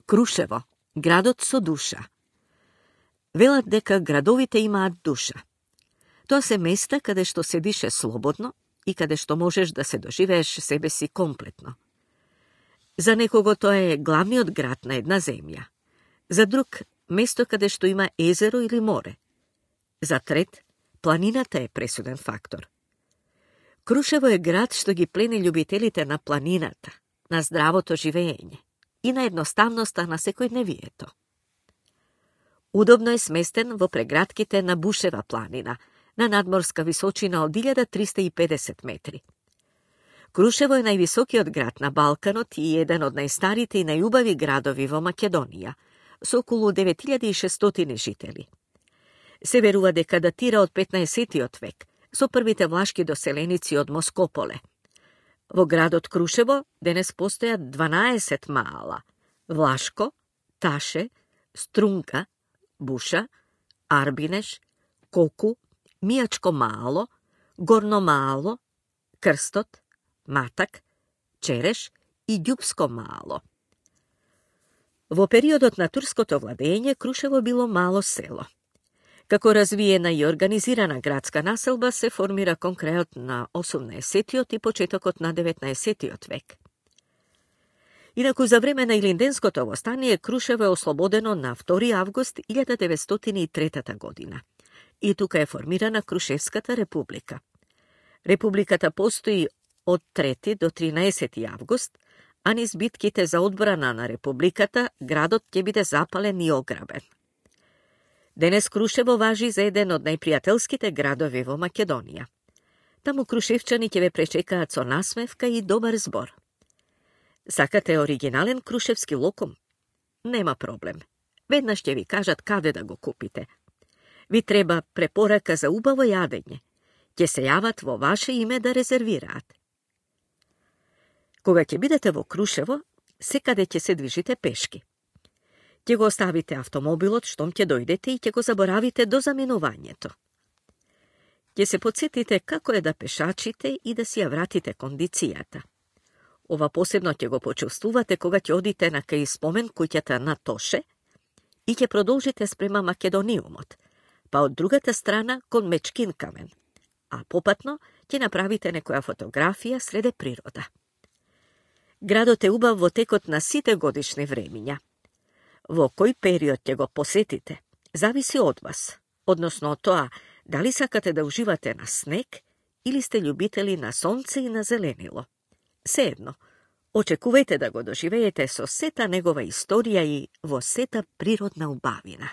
Крушево, градот со душа. Велат дека градовите имаат душа. Тоа се места каде што се дише слободно и каде што можеш да се доживееш себе си комплетно. За некого тоа е главниот град на една земја. За друг, место каде што има езеро или море. За трет, планината е пресуден фактор. Крушево е град што ги плени љубителите на планината, на здравото живење и на едноставноста на секојдневието. Удобно е сместен во прегратките на Бушева планина, на надморска височина од 1350 метри. Крушево е највисокиот град на Балканот и еден од најстарите и најубави градови во Македонија, со околу 9600 жители. Се верува дека датира од 15 век, со првите влашки доселеници од Москополе. Во градот Крушево денес постојат 12 маала – Влашко, Таше, Струнка, Буша, Арбинеш, Коку, Мијачко маало, Горно маало, Крстот, Матак, Череш и Ѓупско маало. Во периодот на турското владење Крушево било мало село. Како развиена и организирана градска населба се формира кон крајот на 18 и почетокот на 19 век. Инаку за време на Илинденското востание Крушево е ослободено на 2 август 1903 година. И тука е формирана Крушевската република. Републиката постои од 3 до 13 август, а низ битките за одбрана на републиката градот ќе биде запален и ограбен. Денес Крушево важи за еден од најпријателските градови во Македонија. Таму крушевчани ќе ве пречекаат со насмевка и добар збор. Сакате оригинален крушевски локум? Нема проблем. Веднаш ќе ви кажат каде да го купите. Ви треба препорака за убаво јадење. Ќе се јават во ваше име да резервираат. Кога ќе бидете во Крушево, секаде ќе се движите пешки. Ќе го оставите автомобилот штом ќе дојдете и ќе го заборавите до заминувањето. Ќе се подсетите како е да пешачите и да си ја вратите кондицијата. Ова посебно ќе го почувствувате кога ќе одите на кај спомен куќата на Тоше и ќе продолжите спрема Македониумот, па од другата страна кон Мечкин камен, а попатно ќе направите некоја фотографија среде природа. Градот е убав во текот на сите годишни времиња. Во кој период ќе го посетите, зависи од вас, односно од тоа дали сакате да уживате на снег или сте љубители на сонце и на зеленило. Сеедно, очекувајте да го доживеете со сета негова историја и во сета природна убавина.